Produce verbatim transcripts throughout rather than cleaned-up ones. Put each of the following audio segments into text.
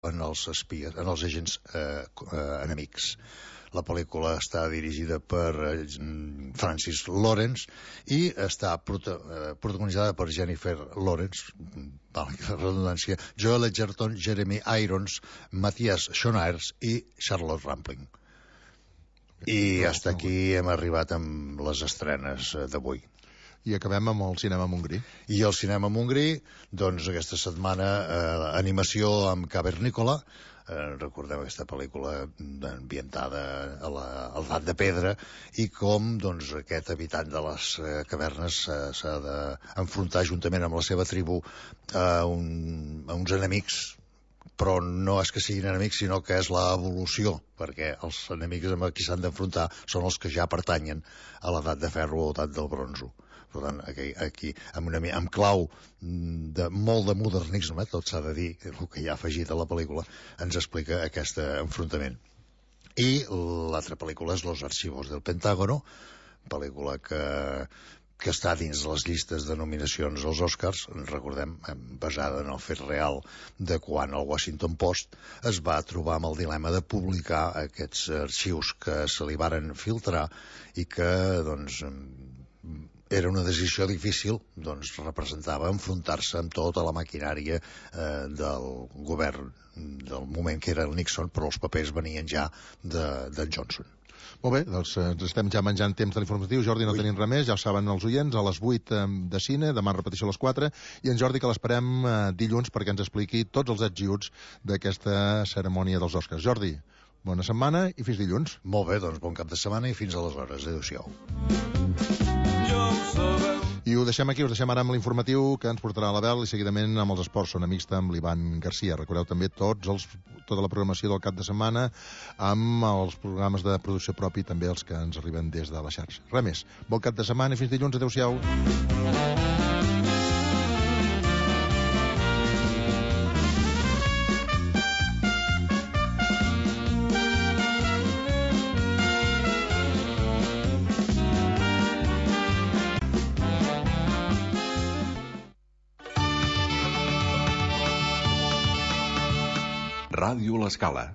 en els espies, en els agents eh, eh, enemics. La pel·lícula està dirigida per eh, Francis Lawrence i està prota eh, protagonitzada per Jennifer Lawrence, valgui la redundància, Joel Edgerton, Jeremy Irons, Matthias Schoenaerts i Charlotte Rampling. I hasta aquí hem arribat amb les estrenes d'avui. I acabem amb el cinema Montgrí. I el cinema Montgrí, doncs aquesta setmana eh, animació amb Cavernícola, eh, recordem aquesta pel·lícula ambientada a l'edat de pedra i com doncs, aquest habitant de les eh, cavernes eh, s'ha d'enfrontar juntament amb la seva tribu a, un, a uns enemics, però no és que siguin enemics, sinó que és l'evolució, perquè els enemics amb qui s'han d'enfrontar són els que ja pertanyen a l'edat de ferro o l'edat del bronzo. Per tant, aquí, aquí amb, una, amb clau de molt de modernisme, tot s'ha de dir, el que hi ha afegit a la pel·lícula, ens explica aquest enfrontament. I l'altra pel·lícula és Los archivos del Pentágono, pel·lícula que, que està dins les llistes de nominacions als Oscars, recordem, basada en el fet real de quan el Washington Post es va trobar amb el dilema de publicar aquests arxius que se li varen filtrar i que, doncs, era una decisió difícil, doncs representava enfrontar-se amb tota la maquinària eh, del govern del moment que era el Nixon, però els papers venien ja d'en de Johnson. Molt bé, doncs ens estem ja menjant temps de l'informatiu. Jordi, no Ui. tenim res més, ja ho saben els oients, a les vuit de cine, demà repetició a les quatre, i en Jordi que l'esperem eh, dilluns perquè ens expliqui tots els ets i uts d'aquesta cerimònia dels Oscars. Jordi, bona setmana i fins dilluns. Molt bé, doncs bon cap de setmana i fins aleshores. Adéu-siau. I ho deixem aquí, us deixem ara amb l'informatiu que ens portarà a la Bel i seguidament amb els esports Són Amics amb l'Ivan Garcia. Recordeu també tots els, tota la programació del cap de setmana amb els programes de producció propi, també els que ens arriben des de la xarxa. Res més, bon cap de setmana i fins dilluns, adéu-siau. Ràdio L'Escala.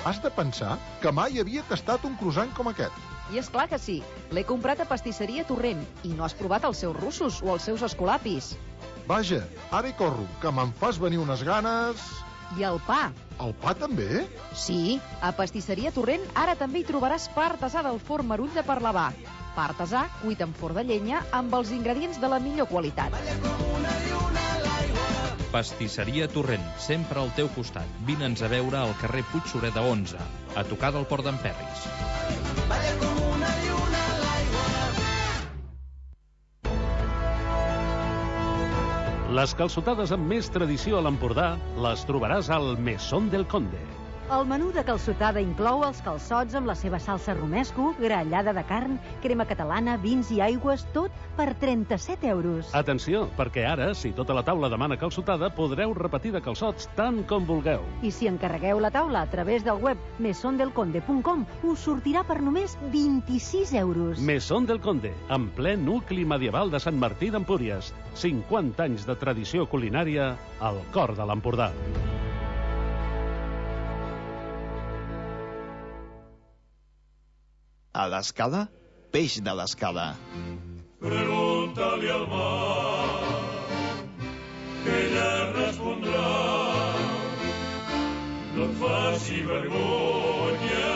Has de pensar que mai havia tastat un croissant com aquest. I és clar que sí. L'he comprat a Pastisseria Torrent i no has provat els seus russos o els seus escolapis. Vaja, ara hi corro, que me'n fas venir unes ganes... I el pa. El pa també? Sí, a Pastisseria Torrent ara també hi trobaràs pa artesà del forn Marull de Parlavà. Pa artesà cuit en forn de llenya amb els ingredients de la millor qualitat. Pastisseria Torrent, sempre al teu costat. Vine'ns a veure al carrer Puig Sureda onze, a tocar del Port d'en Perris. Les calçotades amb més tradició a l'Empordà les trobaràs al Mesón del Conde. El menú de calçotada inclou els calçots amb la seva salsa romesco, grallada de carn, crema catalana, vins i aigües, tot per trenta-set euros. Atenció, perquè ara, si tota la taula demana calçotada, podreu repetir de calçots tant com vulgueu. I si encarregueu la taula a través del web mesón del conde punt com, us sortirà per només vint-i-sis euros. Mesón del Conde, en ple nucli medieval de Sant Martí d'Empúries. cinquanta anys de tradició culinària al cor de l'Empordà. A l'Escala, peix de l'Escala. Pregunta-li al mar, que ella respondrà. No et faci vergonya,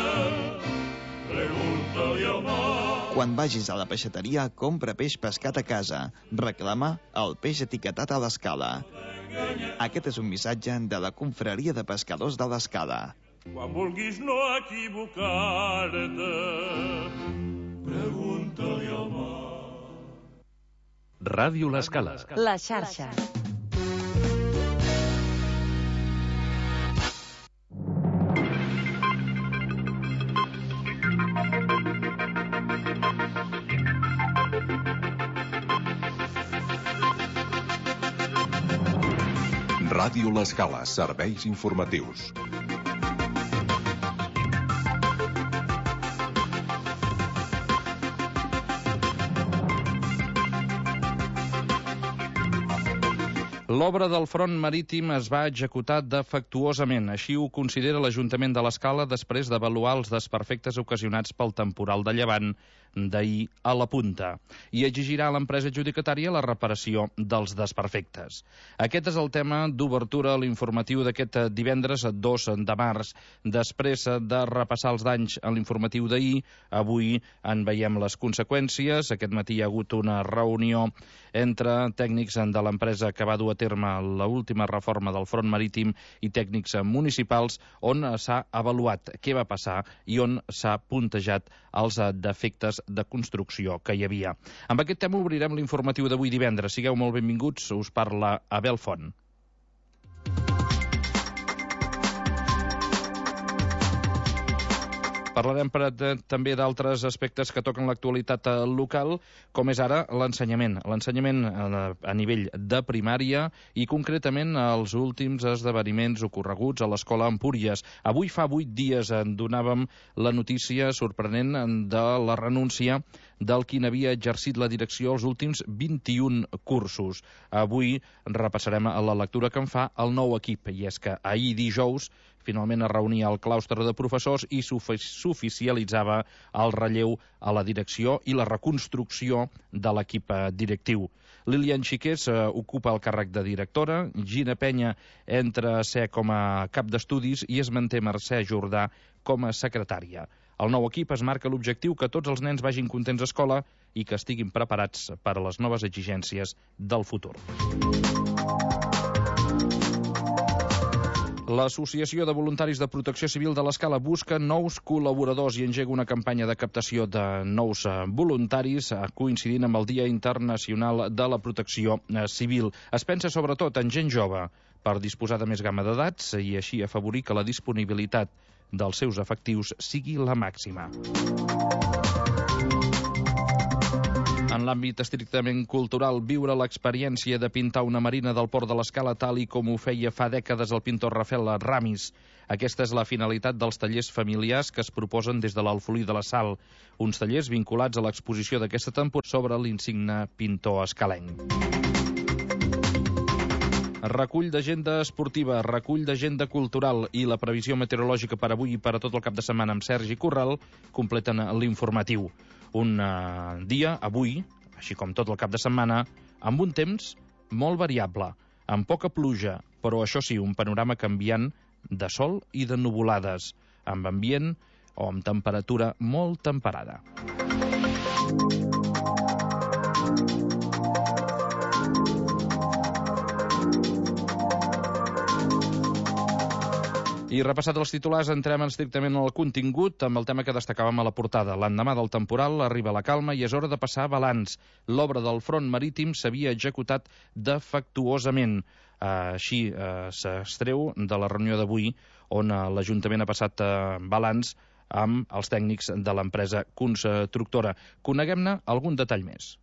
pregunta-li al mar. Quan vagis a la peixateria, compra peix pescat a casa. Reclama el peix etiquetat a l'Escala. Aquest és un missatge de la Confraria de Pescadors de l'Escala. Quan vulguis no equivocar-te, pregunta-li al mar. Ràdio L'Escala. La xarxa. Ràdio L'Escala, serveis informatius. L'obra del front marítim es va executar defectuosament. Així ho considera l'Ajuntament de l'Escala després d'avaluar els desperfectes ocasionats pel temporal de llevant d'ahir a la Punta i exigirà a l'empresa adjudicatària la reparació dels desperfectes. Aquest és el tema d'obertura a l'informatiu d'aquest divendres dos de març. Després de repassar els danys en l'informatiu d'ahir, avui en veiem les conseqüències. Aquest matí hi ha hagut una reunió entre tècnics de l'empresa que va dur a terme l'última reforma del front marítim i tècnics municipals, on s'ha avaluat què va passar i on s'ha puntejat els defectes de construcció que hi havia. Amb aquest tema obrirem l'informatiu d'avui divendres. Sigueu molt benvinguts, us parla Abel Font. Parlarem per, de, també d'altres aspectes que toquen l'actualitat local, com és ara l'ensenyament. L'ensenyament a, a nivell de primària i concretament els últims esdeveniments ocorreguts a l'Escola Empúries. Avui fa vuit dies en donàvem la notícia sorprenent de la renúncia del qui n'havia exercit la direcció els últims vint-i-un cursos. Avui repassarem la lectura que en fa el nou equip, i és que ahir dijous finalment es reunia el claustre de professors i s'oficialitzava el relleu a la direcció i la reconstrucció de l'equip directiu. Lilian Xiqués eh, ocupa el càrrec de directora, Gina Penya entra a ser com a cap d'estudis i es manté Mercè Jordà com a secretària. El nou equip es marca l'objectiu que tots els nens vagin contents a escola i que estiguin preparats per a les noves exigències del futur. L'Associació de Voluntaris de Protecció Civil de l'Escala busca nous col·laboradors i engega una campanya de captació de nous voluntaris coincidint amb el Dia Internacional de la Protecció Civil. Es pensa sobretot en gent jove per disposar de més gamma d'edats i així afavorir que la disponibilitat dels seus efectius sigui la màxima. En l'àmbit estrictament cultural, viure l'experiència de pintar una marina del Port de l'Escala tal i com ho feia fa dècades el pintor Rafael Ramis. Aquesta és la finalitat dels tallers familiars que es proposen des de l'Alfolí de la Sal, uns tallers vinculats a l'exposició d'aquesta temporada sobre l'insigne pintor escalenc. Recull d'agenda esportiva, recull d'agenda cultural i la previsió meteorològica per avui i per a tot el cap de setmana amb Sergi Corral completen l'informatiu. Un uh, dia, avui, així com tot el cap de setmana, amb un temps molt variable, amb poca pluja, però això sí, un panorama canviant de sol i de nuvolades, amb ambient o amb temperatura molt temperada. I repassat els titulars, entrem estrictament al contingut amb el tema que destacàvem a la portada. L'endemà del temporal arriba la calma i és hora de passar balanç. L'obra del front marítim s'havia executat defectuosament. Així s'extreu de la reunió d'avui on l'Ajuntament ha passat balanç amb els tècnics de l'empresa constructora. Coneguem-ne algun detall més.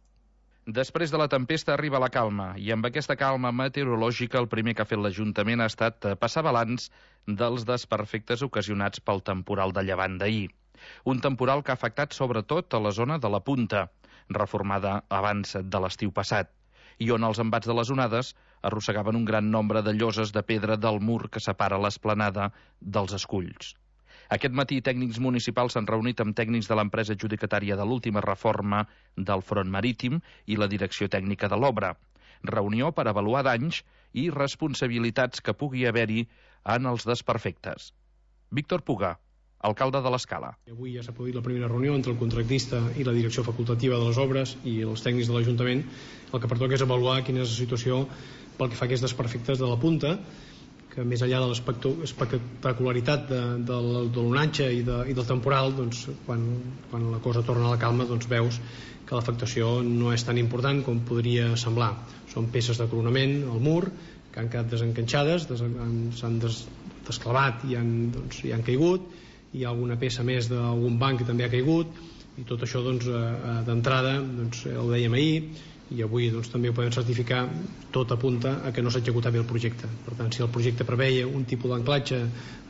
Després de la tempesta arriba la calma i amb aquesta calma meteorològica el primer que ha fet l'Ajuntament ha estat passar balanç dels desperfectes ocasionats pel temporal de llevant d'ahir. Un temporal que ha afectat sobretot a la zona de la Punta, reformada abans de l'estiu passat, i on els embats de les onades arrossegaven un gran nombre de lloses de pedra del mur que separa l'esplanada dels esculls. Aquest matí tècnics municipals s'han reunit amb tècnics de l'empresa adjudicatària de l'última reforma del front marítim i la direcció tècnica de l'obra. Reunió per avaluar danys i responsabilitats que pugui haver-hi en els desperfectes. Víctor Puga, alcalde de l'Escala. Avui ja s'ha produït la primera reunió entre el contractista i la direcció facultativa de les obres i els tècnics de l'Ajuntament. El que pertoca és avaluar quina és la situació pel que fa a aquests desperfectes de la Punta, que més enllà de l'espectacularitat de, de, de l'onatge i, de, i del temporal, doncs, quan, quan la cosa torna a la calma doncs veus que l'afectació no és tan important com podria semblar. Són peces de coronament al mur que han quedat desencanxades, des, s'han des, desclavat i han, doncs, i han caigut, hi ha alguna peça més d'algun banc que també ha caigut i tot això doncs, d'entrada doncs, ho dèiem ahir i avui doncs, també ho podem certificar, tot apunta a que no s'ha executat bé el projecte. Per tant, si el projecte preveia un tipus d'anclatge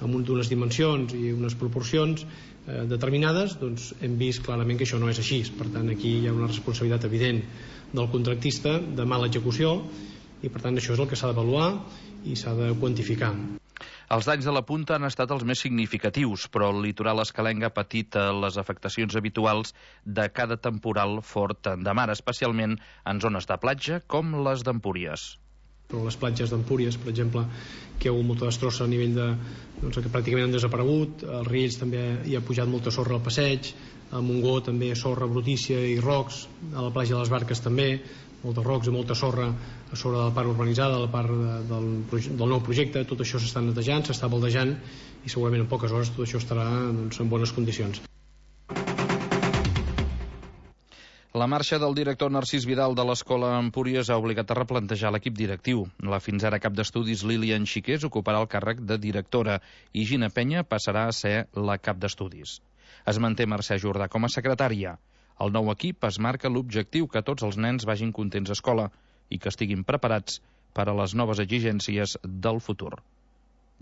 amb unes dimensions i unes proporcions eh, determinades, doncs hem vist clarament que això no és així. Per tant, aquí hi ha una responsabilitat evident del contractista de mala execució i per tant això és el que s'ha d'avaluar i s'ha de quantificar. Els danys de la punta han estat els més significatius, però el litoral escalenc ha patit les afectacions habituals de cada temporal fort de mar, especialment en zones de platja com les d'Empúries. Però les platges d'Empúries, per exemple, que hi ha hagut molta destrossa a nivell de... doncs que pràcticament han desaparegut, als Riells també hi ha pujat molta sorra al passeig, a Montgó també sorra brutícia i rocs, a la platja de les Barques també, moltes rocs i molta sorra a sobre de la part urbanitzada, a la part de, del, del nou projecte. Tot això s'està netejant, s'està baldejant i segurament en poques hores tot això estarà doncs, en bones condicions. La marxa del director Narcís Vidal de l'Escola Empúries ha obligat a replantejar l'equip directiu. La fins ara cap d'estudis Lilian Xiqués ocuparà el càrrec de directora i Gina Penya passarà a ser la cap d'estudis. Es manté Mercè Jordà com a secretària. El nou equip es marca l'objectiu que tots els nens vagin contents a escola i que estiguin preparats per a les noves exigències del futur.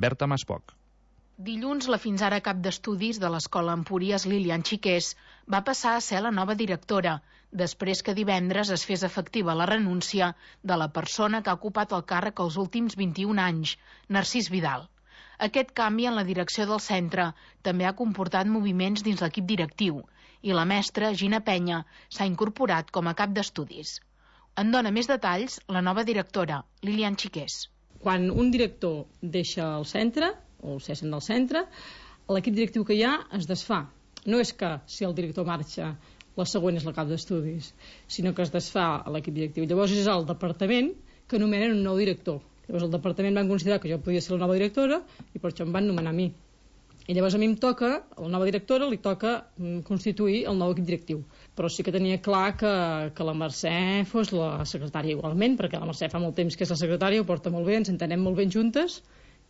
Berta Maspoc. Dilluns, la fins ara cap d'estudis de l'Escola Empúries, Lilian Xiqués, va passar a ser la nova directora, després que divendres es fes efectiva la renúncia de la persona que ha ocupat el càrrec els últims vint-i-un anys, Narcís Vidal. Aquest canvi en la direcció del centre també ha comportat moviments dins l'equip directiu i la mestra, Gina Penya, s'ha incorporat com a cap d'estudis. En dona més detalls la nova directora, Lilian Xiqués. Quan un director deixa el centre, o el cessen del centre, l'equip directiu que hi ha es desfà. No és que si el director marxa, la següent és la cap d'estudis, sinó que es desfà l'equip directiu. Llavors és el departament que nomenen un nou director. Llavors el departament van considerar que jo podia ser la nova directora i per això em van nomenar a mi. I llavors a mi em toca, a la nova directora li toca constituir el nou equip directiu. Però sí que tenia clar que, que la Mercè fos la secretària igualment, perquè la Mercè fa molt temps que és la secretària, ho porta molt bé, ens entenem molt ben juntes,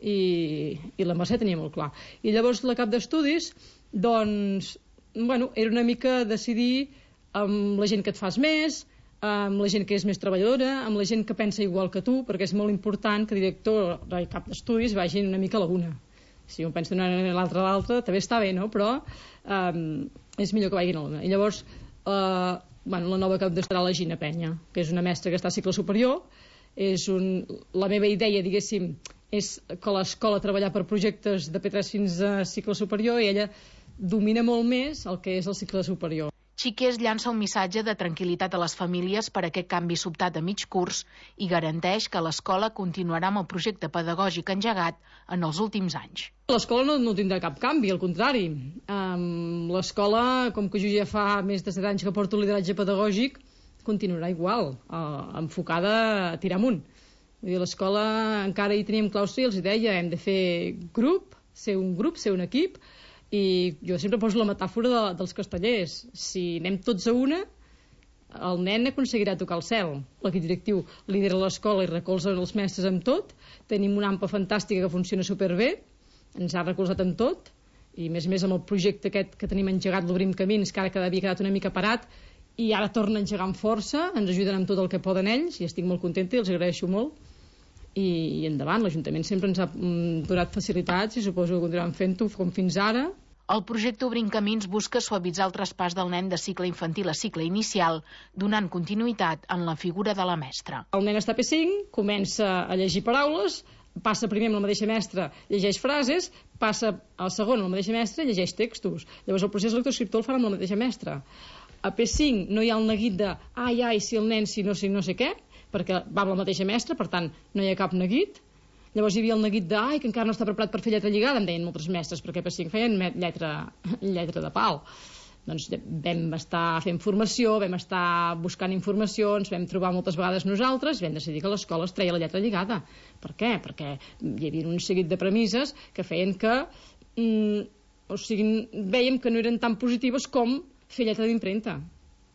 i, i la Mercè tenia molt clar. I llavors la cap d'estudis, doncs, bueno, era una mica decidir amb la gent que et fas més, amb la gent que és més treballadora, amb la gent que pensa igual que tu, perquè és molt important que director i cap d'estudis vagin una mica a la una. Si un pensa d'una manera i l'altra a l'altra, també està bé, no? Però um, és millor que vagin a la una. I llavors, uh, bueno, la nova cap d'estudis serà la Gina Penya, que és una mestra que està a cicle superior. És un... La meva idea, diguéssim, és que l'escola treballar per projectes de P tres fins a cicle superior i ella domina molt més el que és el cicle superior. Xiqués llança un missatge de tranquil·litat a les famílies per aquest canvi sobtat a mig curs i garanteix que l'escola continuarà amb el projecte pedagògic engegat en els últims anys. L'escola no, no tindrà cap canvi, al contrari. Um, l'escola, com que jo ja fa més de set anys que porto lideratge pedagògic, continuarà igual, uh, enfocada a tirar amunt. Vull dir, l'escola encara hi teníem claustre i els deia, hem de fer grup, ser un grup, ser un equip, i jo sempre poso la metàfora de, dels castellers. Si anem tots a una, el nen aconseguirà tocar el cel. L'equip directiu lidera l'escola i recolza els mestres amb tot. Tenim una AMPA fantàstica que funciona superbé, ens ha recolzat amb tot, i a més a més amb el projecte aquest que tenim engegat, l'Obrim Camins, que ara que havia quedat una mica parat, i ara torna a engegar amb força, ens ajuden amb tot el que poden ells, i estic molt contenta i els agraeixo molt. I, i endavant, l'Ajuntament sempre ens ha mm, donat facilitats i suposo que continuem fent-ho com fins ara. El projecte Obrim Camins busca suavitzar el traspàs del nen de cicle infantil a cicle inicial, donant continuïtat en la figura de la mestra. El nen està a P cinc, comença a llegir paraules, passa primer amb la mateixa mestra, llegeix frases, passa al segon amb la mateixa mestra i llegeix textos. Llavors el procés lectoescriptor el farà amb la mateixa mestra. A P cinc no hi ha el neguit de ai, ai, si el nen, si no, si no sé què, perquè va amb la mateixa mestra, per tant no hi ha cap neguit. Llavors hi havia el neguit de ai, que encara no està preparat per fer lletra lligada, em deien moltes mestres, perquè a P cinc feien lletra, lletra de pal. Doncs vam estar fent formació, vam estar buscant informacions, vam trobar moltes vegades nosaltres i vam decidir que l'escola es treia la lletra lligada. Per què? Perquè hi havia un seguit de premisses que feien que mm, o sigui, vèiem que no eren tan positives com fer lletra d'impremta.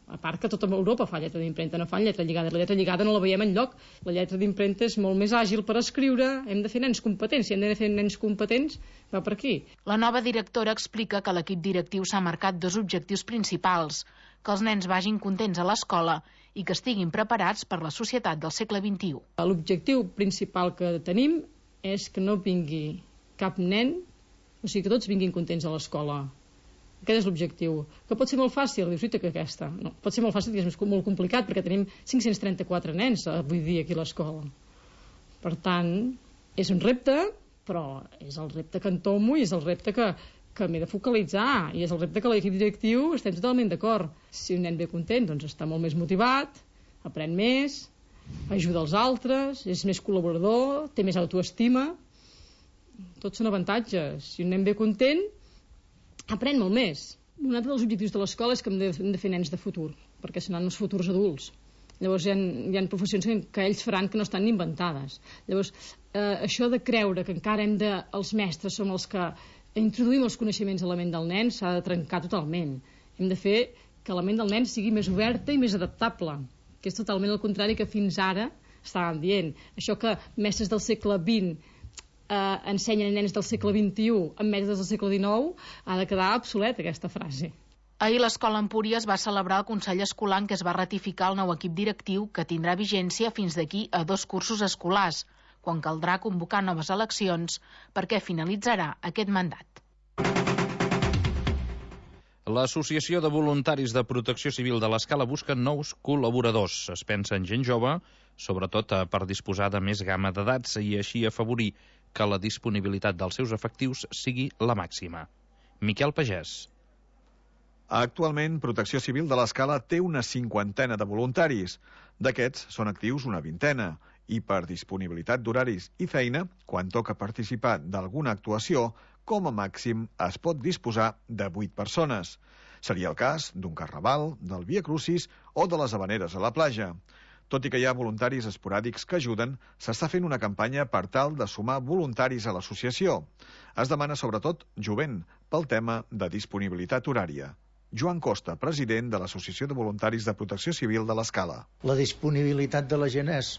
A part que tota Europa fa lletra d'impremta, no fan lletra lligada. La lletra lligada no la veiem enlloc. La lletra d'impremta és molt més àgil per escriure, hem de fer nens competents. Si hem de fer nens competents, va per aquí. La nova directora explica que l'equip directiu s'ha marcat dos objectius principals: que els nens vagin contents a l'escola i que estiguin preparats per la societat del segle vint-i-u. L'objectiu principal que tenim és que no vingui cap nen, o sigui, que tots vinguin contents a l'escola. Aquest és l'objectiu. Que pot ser molt fàcil? Dius, que aquesta. No, pot ser molt fàcil i és molt complicat perquè tenim cinc-cents trenta-quatre nens avui dia aquí a l'escola. Per tant, és un repte, però és el repte que entomo i és el repte que, que m'he de focalitzar i és el repte que l'equip directiu estem totalment d'acord. Si un nen ve content, doncs està molt més motivat, aprèn més, ajuda els altres, és més col·laborador, té més autoestima. Tots són avantatges. Si un nen ve content, aprèn molt més. Un altre dels objectius de l'escola és que hem de, hem de fer nens de futur, perquè seran els futurs adults. Llavors hi ha, hi ha professions que ells faran que no estan inventades. Llavors, eh, això de creure que encara hem de, els mestres som els que introduïm els coneixements a la ment del nen s'ha de trencar totalment. Hem de fer que la ment del nen sigui més oberta i més adaptable, que és totalment el contrari que fins ara estàvem dient. Això que mestres del segle vint Eh, ensenyen nens del segle vint-i-u amb mestres del segle dinou, ha de quedar obsoleta aquesta frase. Ahir l'escola Empúries va celebrar el Consell Escolar en què es va ratificar el nou equip directiu que tindrà vigència fins d'aquí a dos cursos escolars, quan caldrà convocar noves eleccions perquè finalitzarà aquest mandat. L'Associació de Voluntaris de Protecció Civil de l'Escala busca nous col·laboradors. Es pensa en gent jove, sobretot per disposar de més gamma d'edats i així afavorir que la disponibilitat dels seus efectius sigui la màxima. Miquel Pagès. Actualment, Protecció Civil de l'Escala té una cinquantena de voluntaris. D'aquests són actius una vintena i per disponibilitat d'horaris i feina, quan toca participar d'alguna actuació, com a màxim es pot disposar de vuit persones. Seria el cas d'un carnaval, del Via Crucis o de les Havaneres a la platja. Tot i que hi ha voluntaris esporàdics que ajuden, s'està fent una campanya per tal de sumar voluntaris a l'associació. Es demana sobretot jovent pel tema de disponibilitat horària. Joan Costa, president de l'Associació de Voluntaris de Protecció Civil de l'Escala. La disponibilitat de la gent és,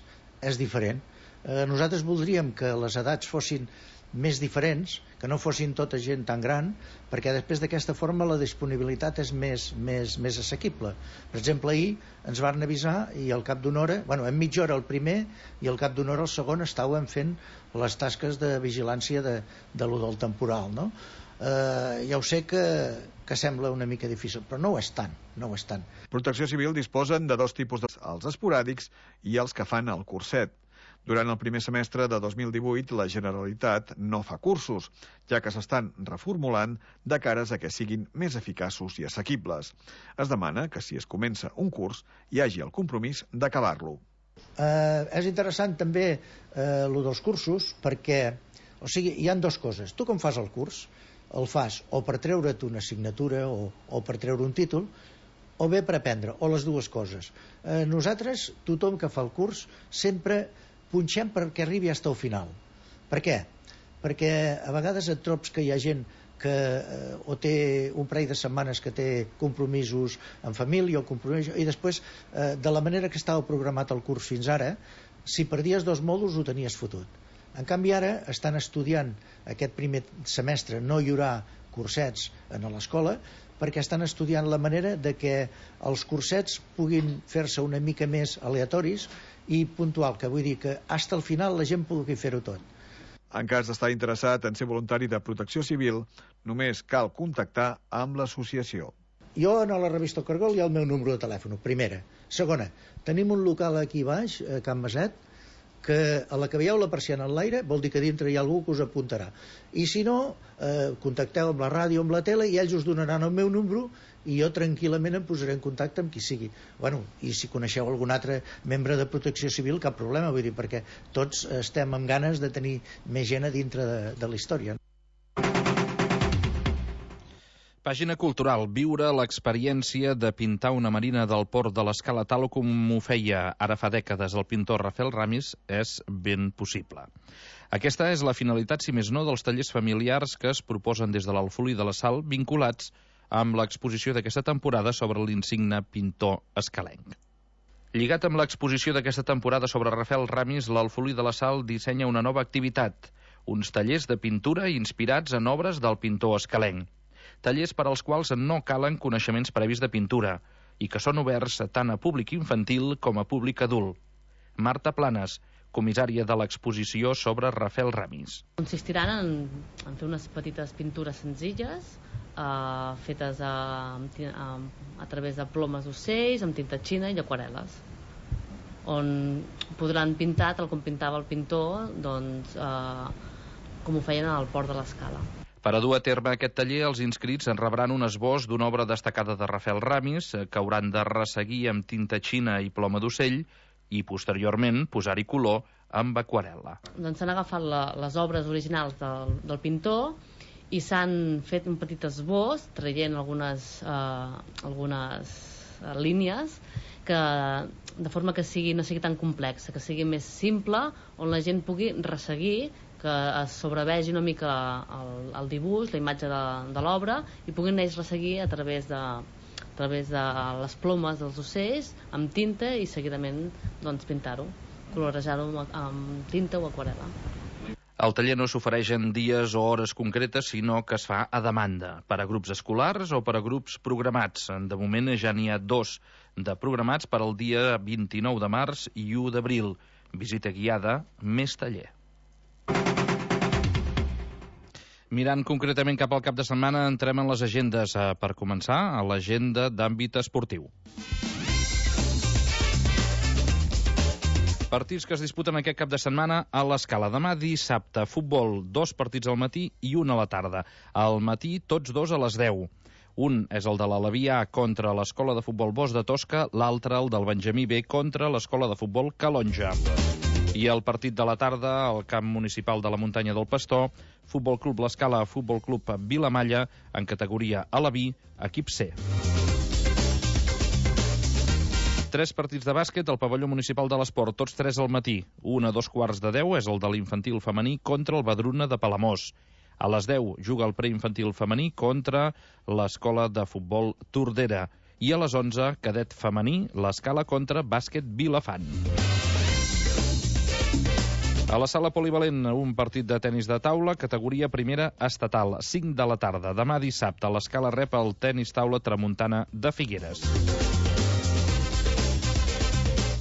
és diferent. Eh, nosaltres voldríem que les edats fossin més diferents, que no fossin tota gent tan gran, perquè després d'aquesta forma la disponibilitat és més, més, més assequible. Per exemple, ahir ens van avisar i al cap d'una hora, bueno, en mitja hora el primer i al cap d'una hora el segon estàvem fent les tasques de vigilància de, de lo del temporal, no? Eh, ja ho sé que, que sembla una mica difícil, però no ho és tant, no ho és tant. Protecció Civil disposen de dos tipus, de... els esporàdics i els que fan el curset. Durant el primer semestre de dos mil divuit, la Generalitat no fa cursos, ja que s'estan reformulant de cares a que siguin més eficaços i assequibles. Es demana que si es comença un curs hi hagi el compromís d'acabar-lo. Eh, és interessant també eh, lo dels cursos, perquè o sigui, hi han dues coses. Tu com fas el curs, el fas o per treure't una assignatura o, o per treure un títol, o bé per aprendre, o les dues coses. Eh, nosaltres, tothom que fa el curs, sempre punxem perquè arribi fins al final. Per què? Perquè a vegades et trobes que hi ha gent que eh, o té un parell de setmanes que té compromisos en família o compromisos, i després eh, de la manera que estava programat el curs fins ara, si perdies dos mòduls ho tenies fotut. En canvi ara estan estudiant aquest primer semestre, no hi haurà cursets en l'escola, perquè estan estudiant la manera de que els cursets puguin fer-se una mica més aleatoris i puntual, que vull dir que fins al final la gent pugui fer-ho tot. En cas d'estar interessat en ser voluntari de Protecció Civil, només cal contactar amb l'associació. Jo a la revista Cargol hi ha el meu número de telèfon, primera. Segona, tenim un local aquí baix, a Can Maset, que a la que veieu la persiana en l'aire vol dir que dintre hi ha algú que us apuntarà. I si no, eh, contacteu amb la ràdio, amb la tele, i ells us donaran el meu número i jo tranquil·lament em posaré en contacte amb qui sigui. Bueno, i si coneixeu algun altre membre de Protecció Civil, cap problema, vull dir, perquè tots estem amb ganes de tenir més gent a dintre de, de la història. Pàgina cultural. Viure l'experiència de pintar una marina del port de l'Escala tal com ho feia ara fa dècades el pintor Rafael Ramis és ben possible. Aquesta és la finalitat, si més no, dels tallers familiars que es proposen des de l'Alfolí de la Sal, vinculats amb l'exposició d'aquesta temporada sobre l'insigne pintor escalenc. Lligat amb l'exposició d'aquesta temporada sobre Rafael Ramis, l'Alfolí de la Sal dissenya una nova activitat, uns tallers de pintura inspirats en obres del pintor escalenc. Tallers per als quals no calen coneixements previs de pintura i que són oberts tant a públic infantil com a públic adult. Marta Planes, comissària de l'exposició sobre Rafael Ramis. Consistiran en, en fer unes petites pintures senzilles eh, fetes a, a, a través de plomes d'ocells, amb tinta xina i aquarel·les, on podran pintar tal com pintava el pintor, doncs, eh, com ho feien al port de l'Escala. Per a dur a terme aquest taller, els inscrits en rebran un esbós d'una obra destacada de Rafael Ramis, que hauran de resseguir amb tinta xina i ploma d'ocell i, posteriorment, posar-hi color amb aquarel·la. Doncs s'han agafat la, les obres originals del, del pintor i s'han fet un petit esbós, traient algunes, eh, algunes eh, línies, que, de forma que sigui, no sigui tan complexa, que sigui més simple, on la gent pugui resseguir, que es sobrevegi una mica el, el dibuix, la imatge de, de l'obra, i puguin ells resseguir a través de, a través de les plomes dels ocells, amb tinta, i seguidament doncs, pintar-ho, colorejar-ho amb, amb tinta o aquarel·la. El taller no s'ofereix en dies o hores concretes, sinó que es fa a demanda, per a grups escolars o per a grups programats. De moment ja n'hi ha dos de programats per al dia vint-i-nou de març i u d'abril. Visita guiada, més taller. Mirant concretament cap al cap de setmana, entrem en les agendes. Per començar, a l'agenda d'àmbit esportiu. Partits que es disputen aquest cap de setmana a l'Escala. Demà dissabte, futbol, dos partits al matí i un a la tarda. Al matí, tots dos a les deu. Un és el de l'Alavià contra l'Escola de Futbol Bosch de Tosca, l'altre el del Benjamí B contra l'Escola de Futbol Calonja. I el partit de la tarda, al camp municipal de la Muntanya del Pastor, Futbol Club l'Escala, Futbol Club Vilamalla, en categoria Alaví, equip C. Tres partits de bàsquet al pavelló municipal de l'Esport, tots tres al matí. Un a dos quarts de deu és el de l'infantil femení contra el Badruna de Palamós. A les deu juga el preinfantil femení contra l'Escola de Futbol Tordera. I a les onze, cadet femení, l'Escala contra Bàsquet Vilafant. A la sala polivalent, un partit de tenis de taula, categoria primera estatal, cinc de la tarda. Demà dissabte, l'Escala rep el tenis taula Tramuntana de Figueres.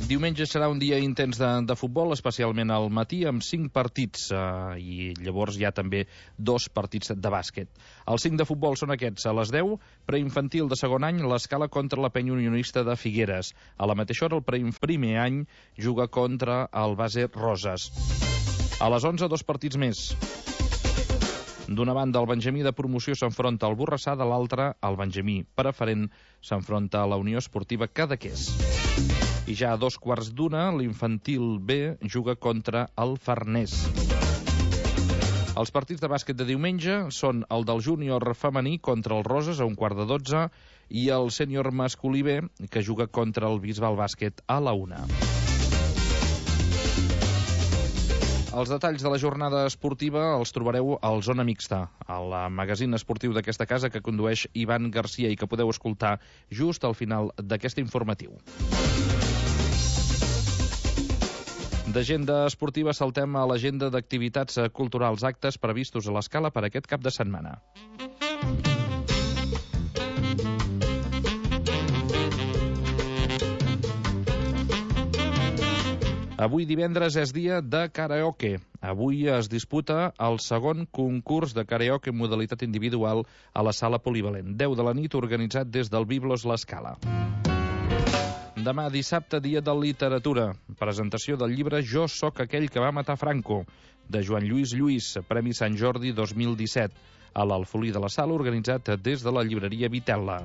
Diumenge serà un dia intens de, de futbol, especialment al matí, amb cinc partits, eh, i llavors hi ha també dos partits de bàsquet. Els cinc de futbol són aquests. A les deu, preinfantil de segon any, l'Escala contra la Penya Unionista de Figueres. A la mateixa hora, el primer any juga contra el Base Roses. A les onze, dos partits més. D'una banda, el Benjamí de promoció s'enfronta al Borrassà, de l'altra, el Benjamí preferent s'enfronta a la Unió Esportiva Cadaqués. I ja a dos quarts d'una, l'infantil B juga contra el Farners. Els partits de bàsquet de diumenge són el del júnior femení contra el Roses a un quart de dotze i el sènior masculí B, que juga contra el Bisbal Bàsquet a la una. Els detalls de la jornada esportiva els trobareu al Zona Mixta, al magazín esportiu d'aquesta casa que condueix Ivan Garcia i que podeu escoltar just al final d'aquest informatiu. D'agenda esportiva saltem a l'agenda d'activitats culturals, actes previstos a l'Escala per aquest cap de setmana. Avui divendres és dia de karaoke. Avui es disputa el segon concurs de karaoke en modalitat individual a la sala polivalent. deu de la nit, organitzat des del Biblos l'Escala. Demà dissabte, dia de literatura. Presentació del llibre Jo sóc aquell que va matar Franco, de Joan Lluís Lluís, Premi Sant Jordi dos mil disset, a l'Alfolí de la Sala, organitzat des de la llibreria Vitella.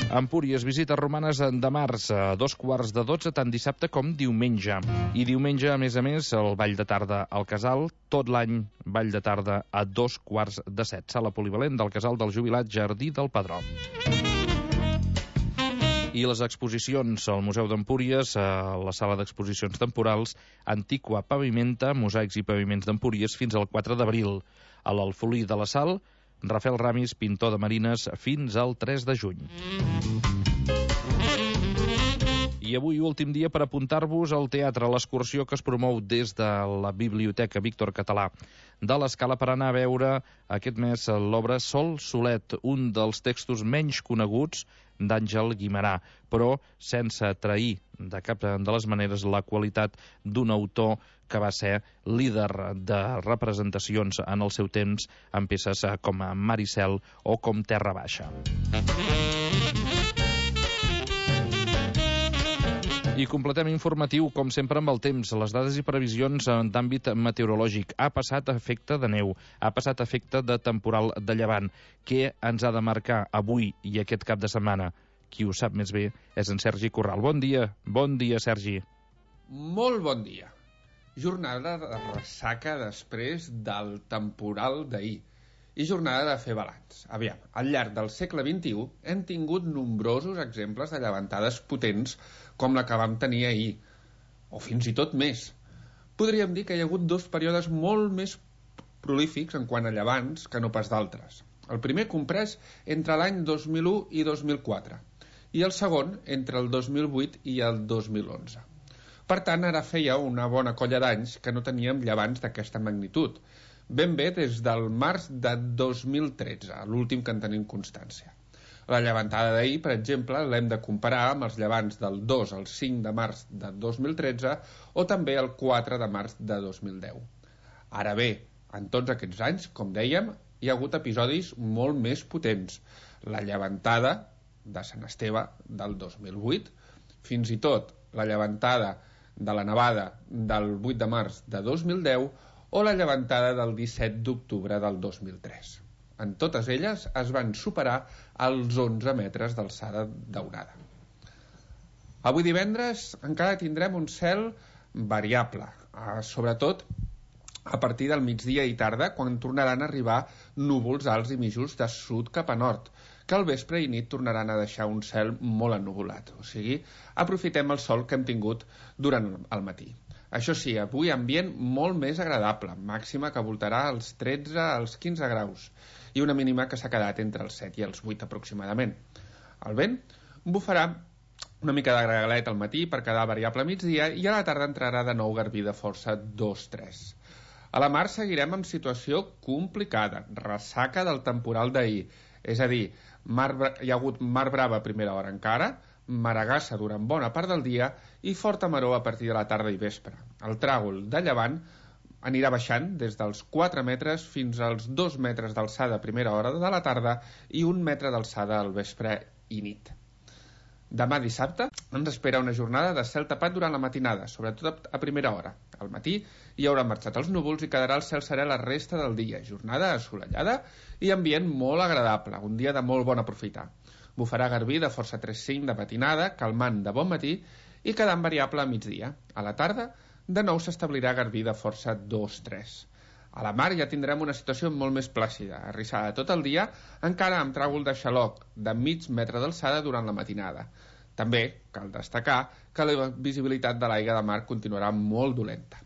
Empúries, visites romanes de març, a dos quarts de dotze, tant dissabte com diumenge. I diumenge, a més a més, el ball de tarda al Casal, tot l'any ball de tarda a dos quarts de set. Sala polivalent del Casal del Jubilat Jardí del Padró. I les exposicions al Museu d'Empúries, a la sala d'exposicions temporals, Antiqua Pavimenta, mosaics i paviments d'Empúries, fins al quatre d'abril. A l'Alfolí de la Sal, Rafael Ramis, pintor de marines, fins al tres de juny. I avui, últim dia per apuntar-vos al teatre, a l'excursió que es promou des de la Biblioteca Víctor Català de l'Escala per anar a veure aquest mes l'obra Sol Solet, un dels textos menys coneguts d'Àngel Guimerà, però sense trair de cap de les maneres la qualitat d'un autor que va ser líder de representacions en el seu temps en peces com Maricel o com Terra Baixa. I completem informatiu, com sempre, amb el temps. Les dades i previsions d'àmbit meteorològic. Ha passat efecte de neu, ha passat efecte de temporal de llevant. Què ens ha de marcar avui i aquest cap de setmana? Qui ho sap més bé és en Sergi Corral. Bon dia, bon dia, Sergi. Molt bon dia. Jornada de ressaca després del temporal d'ahir i jornada de fer balanç. Aviam, al llarg del segle vint-i-u hem tingut nombrosos exemples de llevantades potents com la que vam tenir ahir, o fins i tot més. Podríem dir que hi ha hagut dos períodes molt més prolífics en quant a llevants que no pas d'altres. El primer comprès entre l'any dos mil u i dos mil quatre, i el segon entre el dos mil vuit i el dos mil onze. Per tant, ara feia una bona colla d'anys que no teníem llevants d'aquesta magnitud, ben bé des del març de dos mil tretze, l'últim que en tenim constància. La llevantada d'ahir, per exemple, l'hem de comparar amb els llevants del dos al cinc de març de dos mil tretze o també el quatre de març de dos mil deu. Ara bé, en tots aquests anys, com dèiem, hi ha hagut episodis molt més potents. La llevantada de Sant Esteve del dos mil vuit, fins i tot la llevantada de la nevada del vuit de març de dos mil deu o la llevantada del disset d'octubre del dos mil tres. En totes elles es van superar els onze metres d'alçada daurada. Avui divendres encara tindrem un cel variable, eh, sobretot a partir del migdia i tarda, quan tornaran a arribar núvols alts i mitjos de sud cap a nord, que al vespre i nit tornaran a deixar un cel molt ennuvolat. O sigui, aprofitem el sol que hem tingut durant el matí. Això sí, avui ambient molt més agradable, màxima que voltarà als tretze als quinze graus i una mínima que s'ha quedat entre els set i els vuit aproximadament. El vent bufarà una mica de gregalet al matí per quedar variable a migdia i a la tarda entrarà de nou garbí de força dos tres. A la mar seguirem amb situació complicada, ressaca del temporal d'ahir, és a dir, mar, hi ha hagut mar brava a primera hora encara, maragassa durant bona part del dia i forta maror a partir de la tarda i vespre. El tràgol de llevant anirà baixant des dels quatre metres fins als dos metres d'alçada a primera hora de la tarda i un metre d'alçada al vespre i nit. Demà dissabte ens espera una jornada de cel tapat durant la matinada, sobretot a primera hora. Al matí hi haurà marxat els núvols i quedarà el cel serè la resta del dia. Jornada assolellada i ambient molt agradable, un dia de molt bon aprofitar. Bufarà garbí de força tres cinc de matinada, calmant de bon matí i quedant variable a migdia. A la tarda, de nou s'establirà garbí de força dos tres. A la mar ja tindrem una situació molt més plàcida, arrissada tot el dia, encara amb tràgol de xaloc de mig metre d'alçada durant la matinada. També cal destacar que la visibilitat de l'aigua de mar continuarà molt dolenta.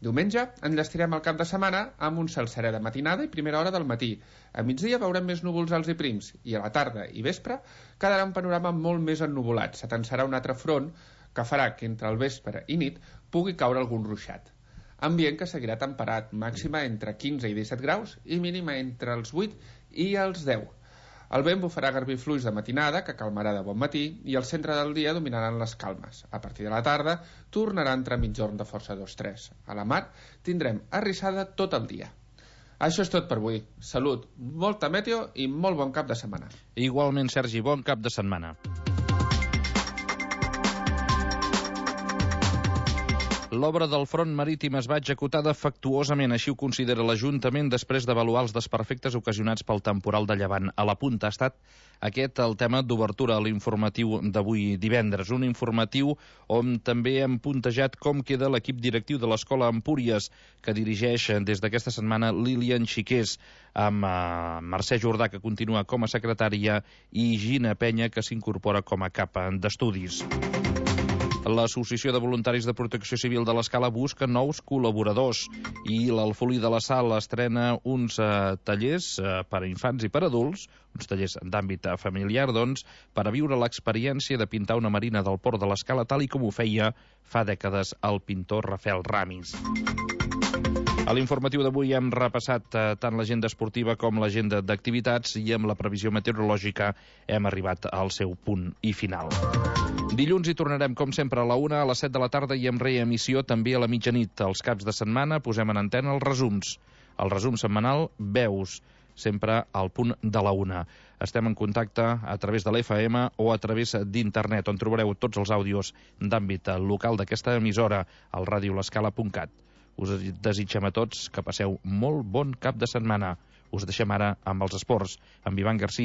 Diumenge enllestirem el cap de setmana amb un cel serè de matinada i primera hora del matí. A migdia veurem més núvols alts i prims i a la tarda i vespre quedarà un panorama molt més ennuvolat. S'atensarà un altre front que farà que entre el vespre i nit pugui caure algun ruixat. Ambient que seguirà temperat, màxima entre quinze i disset graus i mínima entre els vuit i els deu. El vent bufarà garbí fluix de matinada, que calmarà de bon matí, i al centre del dia dominaran les calmes. A partir de la tarda tornarà a entrar mitjorn de força dos tres. A la mar tindrem arrissada tot el dia. Això és tot per avui. Salut, molta meteo i molt bon cap de setmana. Igualment, Sergi, bon cap de setmana. L'obra del front marítim es va executar defectuosament, així ho considera l'Ajuntament després d'avaluar els desperfectes ocasionats pel temporal de llevant. A la punta ha estat aquest el tema d'obertura a l'informatiu d'avui divendres. Un informatiu on també hem puntejat com queda l'equip directiu de l'Escola Empúries, que dirigeix des d'aquesta setmana Lilian Xiqués, amb eh, Mercè Jordà, que continua com a secretària, i Gina Penya, que s'incorpora com a cap d'estudis. L'Associació de Voluntaris de Protecció Civil de l'Escala busca nous col·laboradors i l'Alfolí de la Sal estrena uns eh, tallers eh, per a infants i per a adults, uns tallers d'àmbit familiar, doncs, per a viure l'experiència de pintar una marina del port de l'Escala tal i com ho feia fa dècades el pintor Rafael Ramis. A l'informatiu d'avui hem repassat eh, tant l'agenda esportiva com l'agenda d'activitats i amb la previsió meteorològica hem arribat al seu punt i final. Dilluns hi tornarem, com sempre, a la una, a les set de la tarda i amb reemissió també a la mitjanit. Els caps de setmana posem en antena els resums. El resum setmanal, Veus, sempre al punt de la una. Estem en contacte a través de l'F M o a través d'internet, on trobareu tots els àudios d'àmbit local d'aquesta emissora, al ràdio l'escala punt cat. Us desitgem a tots que passeu molt bon cap de setmana. Us deixem ara amb els esports, amb Ivan Garcia.